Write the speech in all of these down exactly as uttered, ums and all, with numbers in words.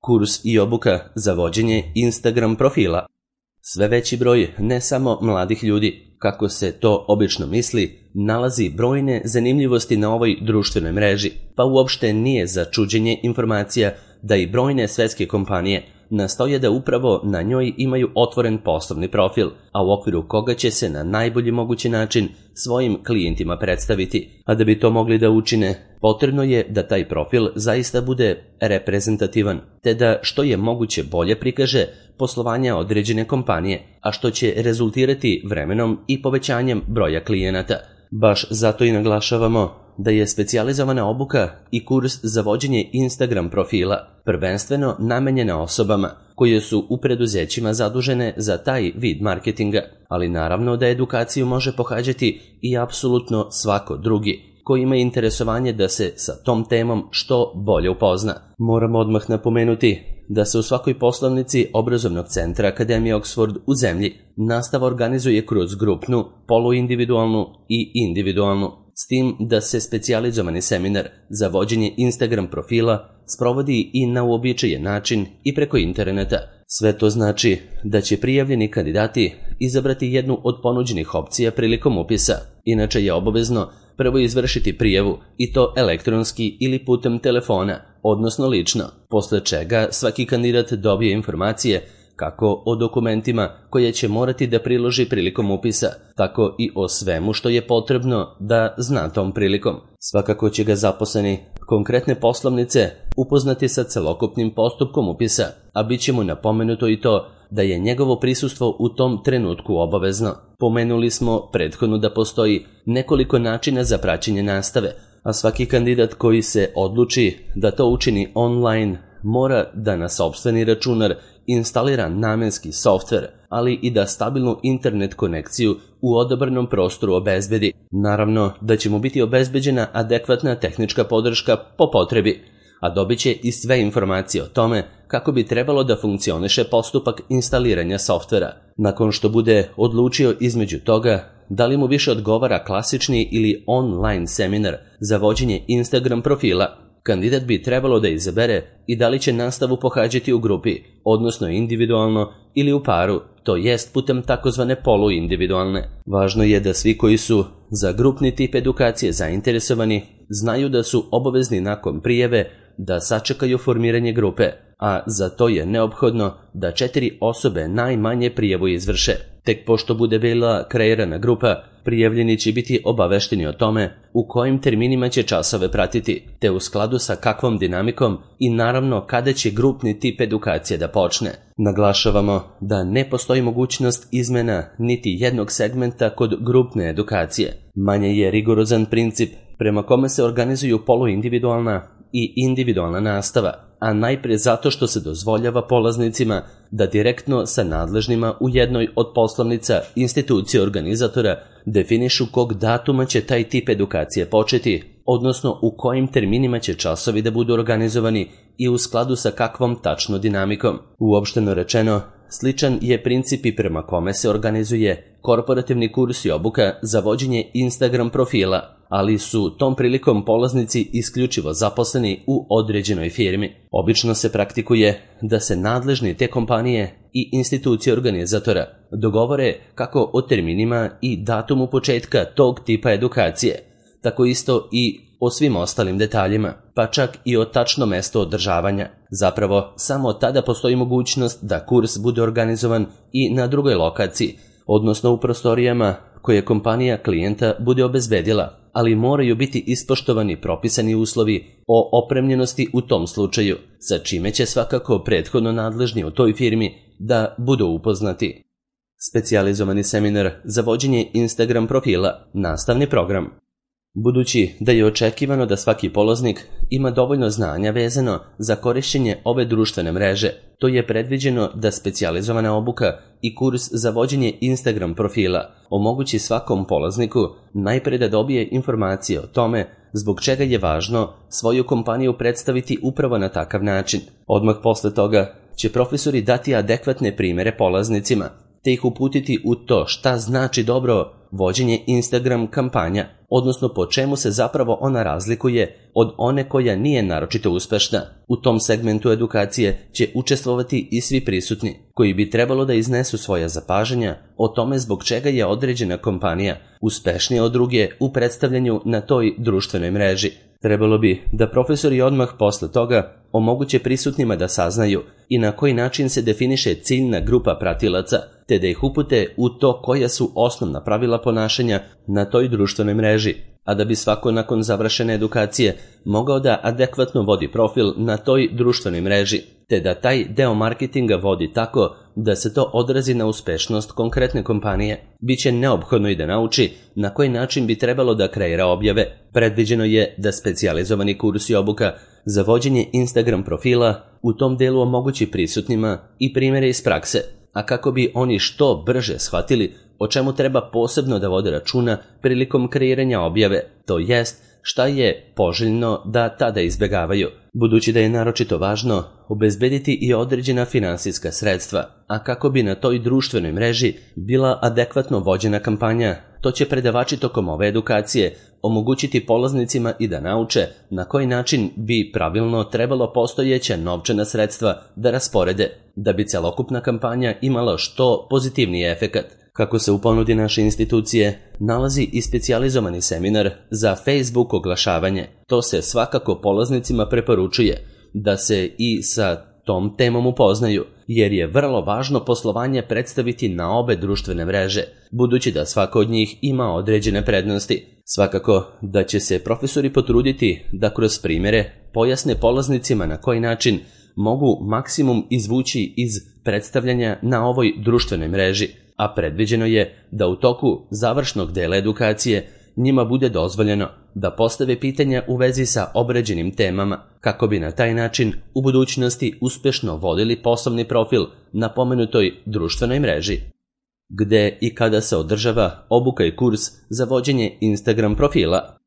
Kurs i obuka za vođenje Instagram profila. Sve veći broj ne samo mladih ljudi, kako se to obično misli, nalazi brojne zanimljivosti na ovoj društvenoj mreži, pa uopšte nije za čuđenje informacija da i brojne svetske kompanije nastoje da upravo na njoj imaju otvoren poslovni profil, a u okviru koga će se na najbolji mogući način svojim klijentima predstaviti. A da bi to mogli da učine, potrebno je da taj profil zaista bude reprezentativan, te da što je moguće bolje prikaže poslovanja određene kompanije, a što će rezultirati vremenom i povećanjem broja klijenata. Baš zato i naglašavamo da je specijalizovana obuka i kurs za vođenje Instagram profila prvenstveno namenjena osobama koje su u preduzećima zadužene za taj vid marketinga, ali naravno da edukaciju može pohađati i apsolutno svako drugi ko ima interesovanje da se sa tom temom što bolje upozna. Moramo odmah napomenuti da se u svakoj poslovnici obrazovnog centra Akademije Oxford u zemlji nastava organizuje kroz grupnu, poluindividualnu i individualnu, s tim da se specijalizovani seminar za vođenje Instagram profila sprovodi i na uobičajen način i preko interneta. Sve to znači da će prijavljeni kandidati izabrati jednu od ponuđenih opcija prilikom upisa. Inače je obavezno prvo izvršiti prijavu, i to elektronski ili putem telefona, odnosno lično, posle čega svaki kandidat dobije informacije kako o dokumentima koje će morati da priloži prilikom upisa, tako i o svemu što je potrebno da zna tom prilikom. Svakako će ga zaposleni konkretne poslovnice upoznati sa celokupnim postupkom upisa, a bit će mu napomenuto i to da je njegovo prisustvo u tom trenutku obavezno. Pomenuli smo prethodno da postoji nekoliko načina za praćenje nastave, a svaki kandidat koji se odluči da to učini online mora da na sopstveni računar instalira namenski softver, ali i da stabilnu internet konekciju u odabranom prostoru obezbedi. Naravno da će mu biti obezbeđena adekvatna tehnička podrška po potrebi, a dobit će i sve informacije o tome kako bi trebalo da funkcioniše postupak instaliranja softvera. Nakon što bude odlučio između toga da li mu više odgovara klasični ili online seminar za vođenje Instagram profila, kandidat bi trebalo da izabere i da li će nastavu pohađati u grupi, odnosno individualno ili u paru, to jest putem takozvane poluindividualne. Važno je da svi koji su za grupni tip edukacije zainteresovani znaju da su obavezni nakon prijave da sačekaju formiranje grupe, a za to je neophodno da četiri osobe najmanje prijavu izvrše. Tek pošto bude bila kreirana grupa, prijavljeni će biti obavešteni o tome u kojim terminima će časove pratiti, te u skladu sa kakvom dinamikom i naravno kada će grupni tip edukacije da počne. Naglašavamo da ne postoji mogućnost izmena niti jednog segmenta kod grupne edukacije. Manje je rigorozan princip prema kome se organizuju poluindividualna i individualna nastava, a najpre zato što se dozvoljava polaznicima da direktno sa nadležnima u jednoj od poslovnica institucije organizatora definišu kog datuma će taj tip edukacije početi, odnosno u kojim terminima će časovi da budu organizovani i u skladu sa kakvom tačno dinamikom. Uopšteno rečeno, sličan je princip i prema kome se organizuje korporativni kurs i obuka za vođenje Instagram profila, ali su tom prilikom polaznici isključivo zaposleni u određenoj firmi. Obično se praktikuje da se nadležni te kompanije i institucije organizatora dogovore kako o terminima i datumu početka tog tipa edukacije, tako isto i o svim ostalim detaljima, pa čak i o tačno mesto održavanja. Zapravo, samo tada postoji mogućnost da kurs bude organizovan i na drugoj lokaciji, odnosno u prostorijama koje kompanija klijenta bude obezbedila, ali moraju biti ispoštovani propisani uslovi o opremljenosti u tom slučaju, sa čime će svakako prethodno nadležni u toj firmi da budu upoznati. Specijalizovani seminar za vođenje Instagram profila, nastavni program. Budući da je očekivano da svaki polaznik ima dovoljno znanja vezano za korišćenje ove društvene mreže, to je predviđeno da specijalizovana obuka i kurs za vođenje Instagram profila omogući svakom polazniku najpre da dobije informacije o tome zbog čega je važno svoju kompaniju predstaviti upravo na takav način. Odmah posle toga će profesori dati adekvatne primere polaznicima te ih uputiti u to šta znači dobro vođenje Instagram kampanja, odnosno po čemu se zapravo ona razlikuje od one koja nije naročito uspešna. U tom segmentu edukacije će učestvovati i svi prisutni, koji bi trebalo da iznesu svoja zapažanja o tome zbog čega je određena kompanija uspešnija od druge u predstavljanju na toj društvenoj mreži. Trebalo bi da profesori odmah posle toga omoguće prisutnima da saznaju i na koji način se definiše ciljna grupa pratilaca, te da ih upute u to koja su osnovna pravila ponašanja na toj društvenoj mreži, a da bi svako nakon završene edukacije mogao da adekvatno vodi profil na toj društvenoj mreži, te da taj deo marketinga vodi tako da se to odrazi na uspešnost konkretne kompanije. Biće neophodno i da nauči na koji način bi trebalo da kreira objave. Predviđeno je da specijalizovani kurs i obuka za vođenje Instagram profila u tom delu omogući prisutnima i primjere iz prakse, a kako bi oni što brže shvatili o čemu treba posebno da vode računa prilikom kreiranja objave, to jest šta je poželjno da tada izbegavaju, budući da je naročito važno obezbediti i određena finansijska sredstva, a kako bi na toj društvenoj mreži bila adekvatno vođena kampanja, to će predavači tokom ove edukacije omogućiti polaznicima i da nauče na koji način bi pravilno trebalo postojeća novčana sredstva da rasporede, da bi celokupna kampanja imala što pozitivniji efekat. Kako se u ponudi naše institucije nalazi i specijalizovani seminar za Facebook oglašavanje, to se svakako polaznicima preporučuje da se i sa tom temom upoznaju, jer je vrlo važno poslovanje predstaviti na obe društvene mreže, budući da svaka od njih ima određene prednosti. Svakako da će se profesori potruditi da kroz primjere pojasne polaznicima na koji način mogu maksimum izvući iz predstavljanja na ovoj društvenoj mreži, a predviđeno je da u toku završnog dela edukacije njima bude dozvoljeno da postave pitanja u vezi sa obrađenim temama, kako bi na taj način u budućnosti uspešno vodili poslovni profil na pomenutoj društvenoj mreži. Gde i kada se održava obuka i kurs za vođenje Instagram profila?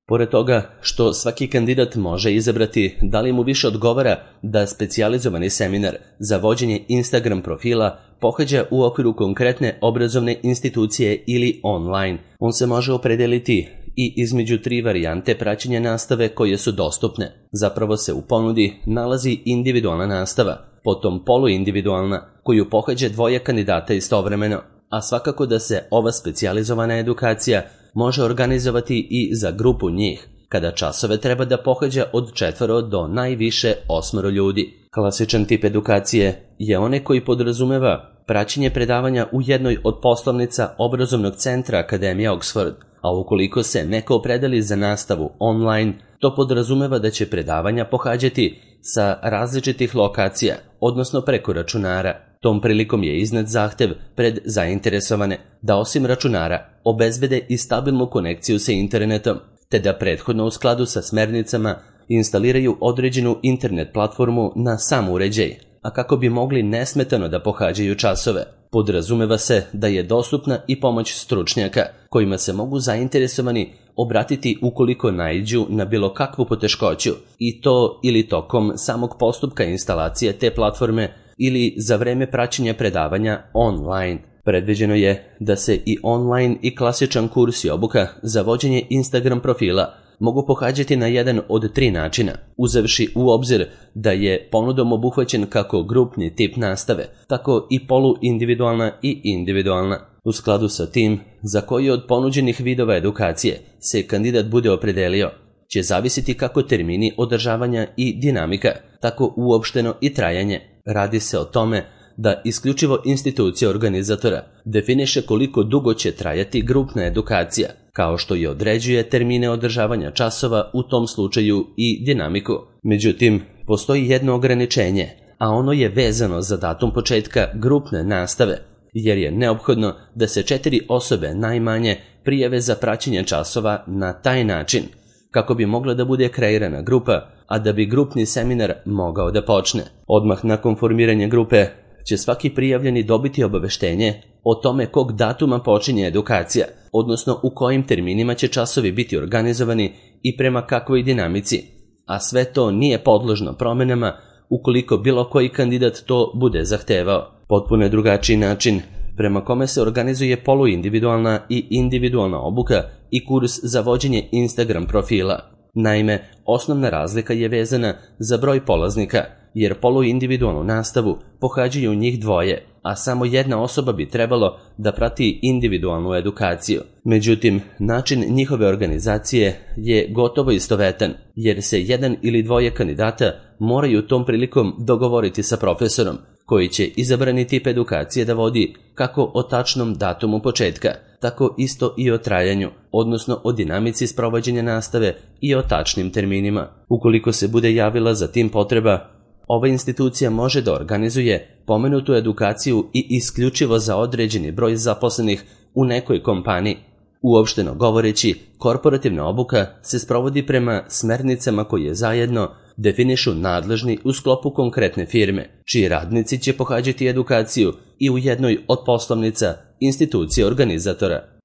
Pored toga što svaki kandidat može izabrati da li mu više odgovara da specijalizovani seminar za vođenje Instagram profila pohađa u okviru konkretne obrazovne institucije ili online, on se može opredeliti i između tri varijante praćenja nastave koje su dostupne. Zapravo se u ponudi nalazi individualna nastava, potom poluindividualna koju pohađa dvoje kandidata istovremeno, a svakako da se ova specijalizovana edukacija može organizovati i za grupu njih, kada časove treba da pohađa od četvoro do najviše osmoro ljudi. Klasičan tip edukacije je onaj koji podrazumeva praćenje predavanja u jednoj od poslovnica obrazovnog centra Akademija Oxford, a ukoliko se neko opredeli za nastavu online, to podrazumeva da će predavanja pohađati sa različitih lokacija, odnosno preko računara. Tom prilikom je iznet zahtev pred zainteresovane da osim računara obezbede i stabilnu konekciju sa internetom, te da prethodno u skladu sa smernicama instaliraju određenu internet platformu na sam uređaj, a kako bi mogli nesmetano da pohađaju časove. Podrazumeva se da je dostupna i pomoć stručnjaka, kojima se mogu zainteresovani obratiti ukoliko naiđu na bilo kakvu poteškoću, i to ili tokom samog postupka instalacije te platforme ili za vreme praćenja predavanja online. Predviđeno je da se i online i klasičan kurs i obuka za vođenje Instagram profila mogu pohađati na jedan od tri načina, uzevši u obzir da je ponudom obuhvaćen kako grupni tip nastave, tako i poluindividualna i individualna. U skladu sa tim, za koji od ponuđenih vidova edukacije se kandidat bude opredelio, će zavisiti kako termini održavanja i dinamika, tako uopšteno i trajanje. Radi se o tome da isključivo institucija organizatora definiše koliko dugo će trajati grupna edukacija, kao što i određuje termine održavanja časova, u tom slučaju i dinamiku. Međutim, postoji jedno ograničenje, a ono je vezano za datum početka grupne nastave, jer je neophodno da se četiri osobe najmanje prijave za praćenje časova na taj način, kako bi mogla da bude kreirana grupa, a da bi grupni seminar mogao da počne. Odmah nakon formiranja grupe će svaki prijavljeni dobiti obaveštenje o tome kog datuma počinje edukacija, odnosno u kojim terminima će časovi biti organizovani i prema kakvoj dinamici, a sve to nije podložno promenama ukoliko bilo koji kandidat to bude zahtevao. Potpuno je drugačiji način prema kome se organizuje poluindividualna i individualna obuka i kurs za vođenje Instagram profila. Naime, osnovna razlika je vezana za broj polaznika, jer poluindividualnu nastavu pohađaju njih dvoje, a samo jedna osoba bi trebalo da prati individualnu edukaciju. Međutim, način njihove organizacije je gotovo istovetan, jer se jedan ili dvoje kandidata moraju tom prilikom dogovoriti sa profesorom, koji će izabrani tip edukacije da vodi kako o tačnom datumu početka, tako isto i o trajanju, odnosno o dinamici sprovođenja nastave i o tačnim terminima. Ukoliko se bude javila za tim potreba, ova institucija može da organizuje pomenutu edukaciju i isključivo za određeni broj zaposlenih u nekoj kompaniji. Uopšteno govoreći, korporativna obuka se sprovodi prema smernicama koje zajedno definišu nadležni u sklopu konkretne firme, čiji radnici će pohađati edukaciju i u jednoj od poslovnica institucije organizatora.